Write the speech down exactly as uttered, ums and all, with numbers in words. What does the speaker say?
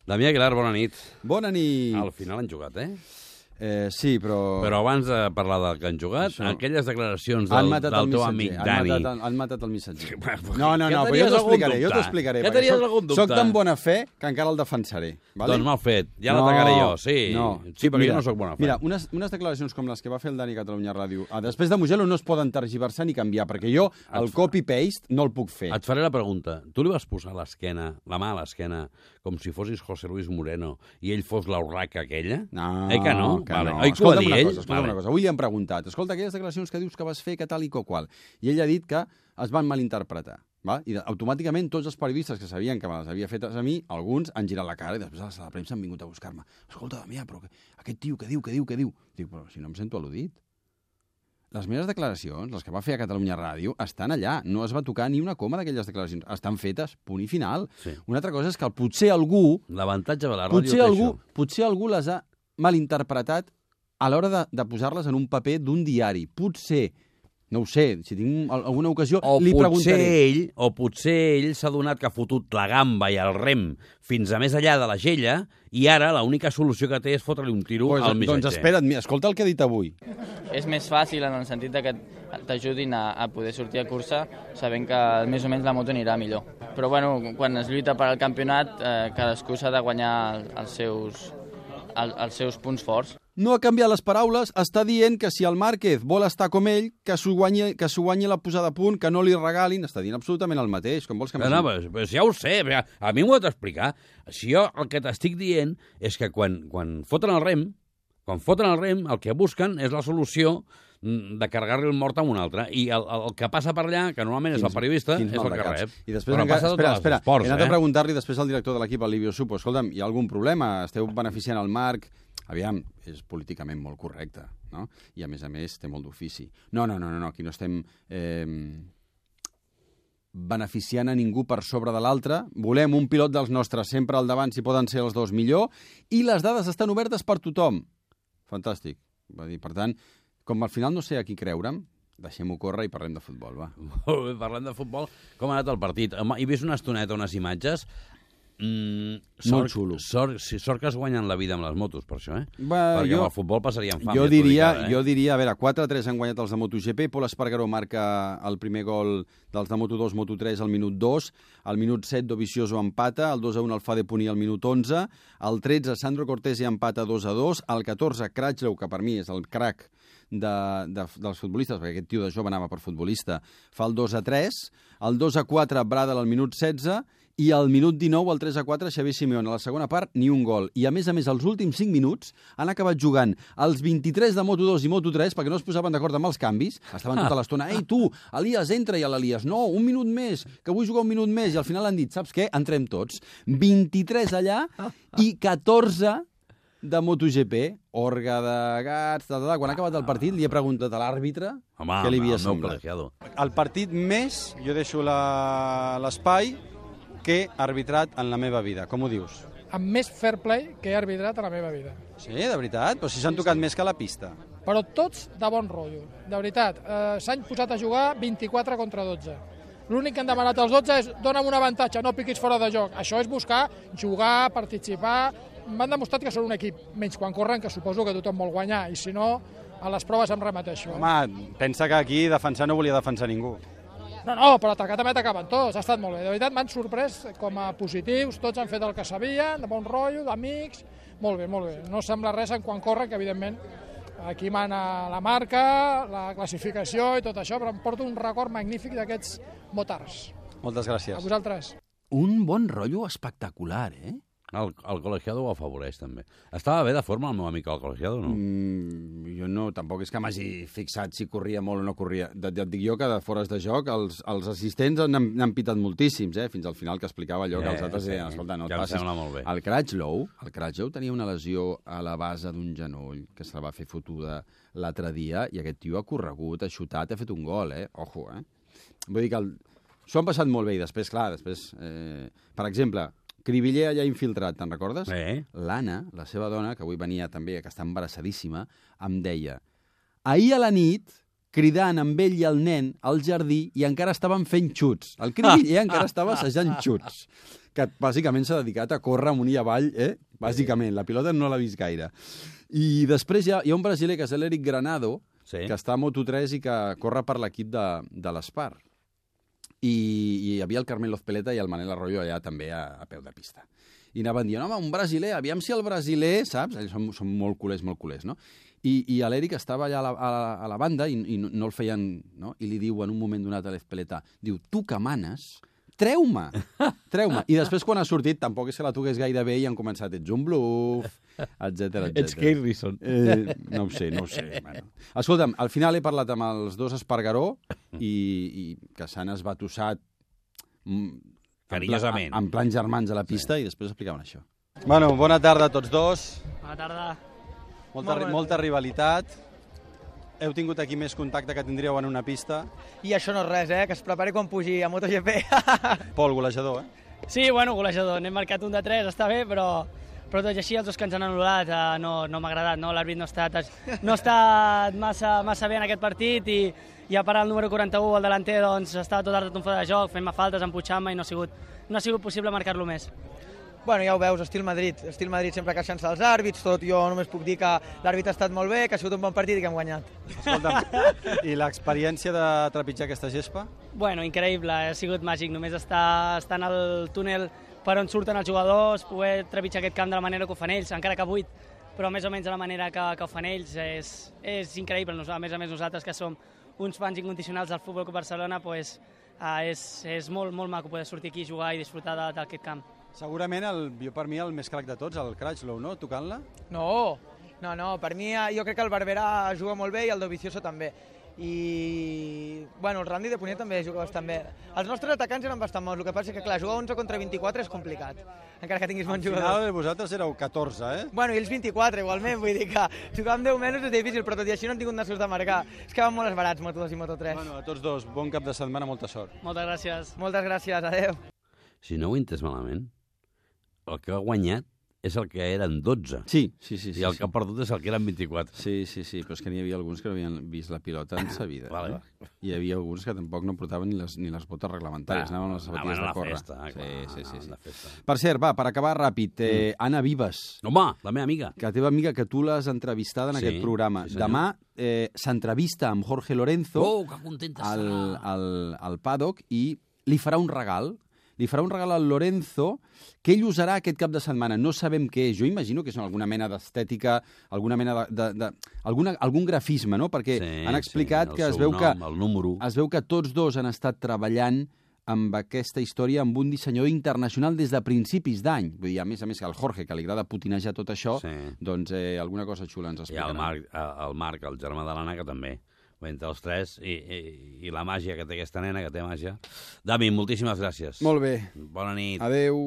Damià Aguilar, bona nit. Bona nit. Al final han jugat, eh? Eh, sí, però... Però abans de parlar del que han jugat, Això. aquelles declaracions del, del teu amic han Dani... Matat el, han matat el missatger. Bueno, No, no, ja no, però tenies jo t'ho algun explicaré, jo dubte. t'ho explicaré. Ja perquè tenies soc- algun dubte. Soc tan bona fe que encara el defensaré. Vale? Doncs mal fet, ja No, l'atacaré jo, sí. No. Sí, perquè Mira, jo no sóc bona fe. Mira, unes, unes declaracions com les que va fer el Dani a Catalunya Ràdio, ah, després de Mugello no es poden tergiversar ni canviar, perquè jo el copy-paste no el puc fer. Et faré la pregunta. Tu li vas posar l'esquena, la mà a l'esquena, com si fossis José Luis Moreno i ell fos l'urraca aquella? No, Eh que no? que Vale. no. Oi que ho va Escolta'm dir una ell? cosa, escolta'm Vale. una cosa. Avui li han preguntat, escolta, aquelles declaracions que dius que vas fer, que tal i que qual. I ell ha dit que es van malinterpretar. Va? I automàticament tots els periodistes que sabien que me les havia fetes a mi, alguns han girat la cara i després a la sala de premsa han vingut a buscar-me. Escolta, Damià, però que, aquest tio, què diu, què diu, què diu? Dic, però si no em sento al·ludit. Les meves declaracions, les que va fer a Catalunya Ràdio, estan allà. No es va tocar ni una coma d'aquelles declaracions. Estan fetes, punt i final. Sí. Una altra cosa és que potser algú L'avantatge de la ràdio potser té algú, això. potser algú les ha malinterpretat a l'hora de, de posar-les en un paper d'un diari. Potser, no ho sé, si tinc al- alguna ocasió, O li potser preguntaré. ell, o potser ell s'ha donat que ha fotut la gamba i el rem fins a més allà de la gella i ara l'única solució que té és fotre-li un tiro Pues, al missatger. doncs espera't, mira, escolta el que he dit avui. És més fàcil en el sentit de que t'ajudin a, a poder sortir a cursa sabent que més o menys la moto anirà millor. Però bueno, quan es lluita per al campionat, eh, cadascú s'ha de guanyar els seus, el, els seus punts forts. No ha canviat les paraules, està dient que si el Márquez vol estar com ell, que s'ho guanyi, que s'ho guanyi la posada a punt, que no li regalin, està dient absolutament el mateix. Com vols que No, no, però, però si ja ho sé, però a mi m'ho has d'explicar. Si jo el que t'estic dient és que quan, quan foten el rem, quan foten el rem, el que busquen és la solució mm, de carregar-li el mort a un altre. I el, el que passa per allà, que normalment és el periodista, és el que rep. I després, Però encara, passa a espera, tots els espera, esports, he anat eh? a preguntar-li després al director de l'equip, el Livio Supo, escolta'm, hi ha algun problema? Esteu beneficiant el Marc? Aviam, és políticament molt correcte, no? I a més a més té molt d'ofici. No, no, no, no, aquí no estem eh, beneficiant a ningú per sobre de l'altre. Volem un pilot dels nostres sempre al davant, si poden ser els dos millor, i les dades estan obertes per tothom. Fantàstic. Va dir, per tant, com al final no sé a qui creure'm, deixem-ho córrer i parlem de futbol, va. Molt bé, parlant de futbol, com ha anat el partit? Home, he vist una estoneta, unes imatges. Mm, Molt xulo. Sort, sí, sort que es guanyen la vida amb les motos, per això, eh? Va, Perquè jo- amb el futbol passarien fam. Jo ja t'ho diria, dic ara, eh? jo diria, a veure, quatre a tres han guanyat els de MotoGP, Pol Espargaró marca el primer gol dels de Moto dos, Moto tres al minut dos, al minut set Dovizioso empata, el dos a un Alfa de Puní al minut onze, al tretze Sandro Cortese empata dos a dos, al catorze Crutchlow, que per mi és el crack de, de, dels futbolistes, perquè aquest tio de jove anava per futbolista, fa el dos a tres, el dos a quatre Bradel al minut setze, i al minut dinou, el tres a quatre, Xavier Simeone. A la segona part, ni un gol. I, a més a més, els últims cinc minuts han acabat jugant els vint-i-tres de Moto dos i Moto tres perquè no es posaven d'acord amb els canvis. Estaven tota l'estona, ei, tu, Elias, entra, i a l'Elias, no, un minut més, que vull jugar un minut més. I al final han dit, saps què? Entrem tots. vint-i-tres allà i catorze de MotoGP. Orga de gats, tal, tal. Quan ha acabat el partit, li he preguntat a l'àrbitre Home, què li havia el meu semblat. col·legiado. El partit més, jo deixo la- l'espai que he arbitrat en la meva vida. Com ho dius? amb més fair play que he arbitrat a la meva vida. Sí, de veritat? Però si s'han tocat més que a la pista. Però tots de bon rotllo, de veritat. Eh, S'han posat a jugar vint-i-quatre contra dotze. L'únic que han demanat els dotze és dona'm un avantatge, no piquis fora de joc. Això és buscar jugar, participar. M'han demostrat que són un equip, menys quan corren, que suposo que tothom vol guanyar, i si no, a les proves em remeteixo. Home, pensa que aquí defensar no volia defensar ningú. No, no, però atacar també atacaven tots, ha estat molt bé. De veritat, m'han sorprès com a positius, tots han fet el que sabien, de bon rotllo, d'amics, molt bé, molt bé. No sembla res en quan corren, que evidentment aquí mana la marca, la classificació i tot això, però em porto un record magnífic d'aquests motards. Moltes A gràcies. vosaltres. Un bon rotllo espectacular, eh? El, el col·legiado ho afavoreix, també. Estava bé de forma el meu amic el col·legiado, no? Mm, jo no, tampoc és que m'hagi fixat si corria molt o no corria. Ja et dic jo que de fores de joc els, els assistents n'han n'han pitat moltíssims, eh? Fins al final que explicava allò que Eh, els altres sí, deien, escolta, no et ja em passis. sembla molt bé. El Crutchlow, el Crutchlow tenia una lesió a la base d'un genoll que se la va fer fotuda l'altre dia i aquest tio ha corregut, ha xutat, ha fet un gol, eh? Ojo, eh? Vull dir que el... s'ho han passat molt bé i després, clar, després... Eh... Per exemple, Cribiller allà infiltrat, te'n recordes? Eh? L'Anna, la seva dona, que avui venia també, que està embarassadíssima, em deia, ahir a la nit, cridant amb ell i el nen al jardí i encara estaven fent xuts. El Cribiller encara estava assajant xuts. que bàsicament s'ha dedicat a córrer amunt i avall, eh? Bàsicament, la pilota no l'ha vist gaire. I després hi ha, hi ha un brasiler que és l'Eric Granado, Sí. que està a Moto tres i que corre per l'equip de, de l'Espar. I, I hi havia el Carmelo Peleta i el Manel Arroyo allà també a, a peu de pista. I anaven dient, home, un brasiler, aviam si el brasiler, saps? Ells són, són molt culers, molt culers, no? I, i l'Eric estava allà a la, a, la, a la banda i, i no, no el feien, no? I li diu en un moment donat a l'Espeleta, diu, tu que manes, treu-me, treu-me. I després quan ha sortit, tampoc és que la toqués gaire bé i han començat, ets un bluff, etcètera, etcètera. Ets Kate Rison. Eh, no ho sé, no ho sé. Bueno. Escolta'm, al final he parlat amb els dos Espargaró i, i que s'han esbatussat carinyosament. En, en plan germans a la pista, sí. I després explicaven això. Bueno, bona tarda a tots dos. Bona tarda. Molta, ri molta rivalitat. Heu tingut aquí més contacte que tindríeu en una pista. I això no és res, eh? Que es prepari quan pugi a MotoGP. Pol, golejador, eh? Sí, bueno, golejador. N'hem marcat un de tres, està bé, però, però tot i així els dos que ens han anul·lat eh, no, no m'ha agradat, no? L'àrbit no ha estat, no ha estat massa, massa bé en aquest partit i, i a part el número quaranta-u, el delanter, doncs estava tot el rato en fora de joc, fent-me faltes, empuixant-me i no ha sigut, no ha sigut possible marcar-lo més. Bueno, ja ho veus, estil Madrid. Estil Madrid sempre queixant-se dels àrbits, tot. Jo només puc dir que l'àrbit ha estat molt bé, que ha sigut un bon partit i que hem guanyat. Escolta'm, i l'experiència de trepitjar aquesta gespa? Bueno, increïble, ha sigut màgic. Només estar, estar en el túnel per on surten els jugadors, poder trepitjar aquest camp de la manera que ho fan ells, encara que buit, però més o menys de la manera que, que ho fan ells, és, és increïble. A més a més, nosaltres que som uns fans incondicionals del Futbol Club Barcelona, pues, uh, és, és molt, molt maco poder sortir aquí, jugar i disfrutar d'aquest camp. Segurament, el, jo per mi, el més crac de tots, el Crutchlow, no? Tocant-la? No, no, no. Per mi, jo crec que el Barberà juga molt bé i el Dovizioso també. I, bueno, el Randy de Puniet també juga bastant bé. Els nostres atacants eren bastant bons, el que passa és que, clar, jugar onze contra vint-i-quatre és complicat, encara que tinguis bons jugadors. Al final, vosaltres éreu catorze, eh? Bueno, i ells vint-i-quatre, igualment, vull dir que jugar amb deu menys és difícil, però tot i així no han tingut una sort de marcar. És que van molt esbarats, Moto dos i Moto tres. Bueno, a tots dos, bon cap de setmana, molta sort. Moltes gràcies. Moltes gràcies, adeu. Si no ho he entès malament, el que ha guanyat és el que eren dotze. Sí, sí, sí. sí I el sí. que ha perdut és el que eren vint-i-quatre. Sí, sí, sí, però és que n'hi havia alguns que no havien vist la pilota en sa vida. Vale, eh? Hi havia alguns que tampoc no portaven ni les, ni les botes reglamentàries, Ah, anaven amb les sabatilles anaven a de la córrer. festa, ah, sí, clar, sí, sí, anaven sí. a la festa. Per cert, va, per acabar ràpid, eh, Anna Vives, Home, la meva amiga. que teva amiga, que tu l'has entrevistada en Sí, aquest programa. sí, senyor. Demà eh, s'entrevista amb Jorge Lorenzo Oh, que contenta al, estarà. al, al paddock i li farà un regal. Li farà un regal al Lorenzo que ell usarà aquest cap de setmana. No sabem què és. Jo imagino que és alguna mena d'estètica, alguna mena de, de, de alguna, algun grafisme, no? Perquè Sí, han explicat sí, el que es seu veu nom, que el número. es veu que tots dos han estat treballant amb aquesta història amb un dissenyador internacional des de principis d'any. Vull dir, a més a més, que el Jorge, que li agrada putinejar tot això, Sí. doncs eh, alguna cosa xula ens I explicarà. el Marc, el Marc, el germà de l'Anna, que també. Entre els tres, i, i, i la màgia que té aquesta nena, que té màgia. Dami, moltíssimes gràcies. Molt bé. Bona nit. Adeu.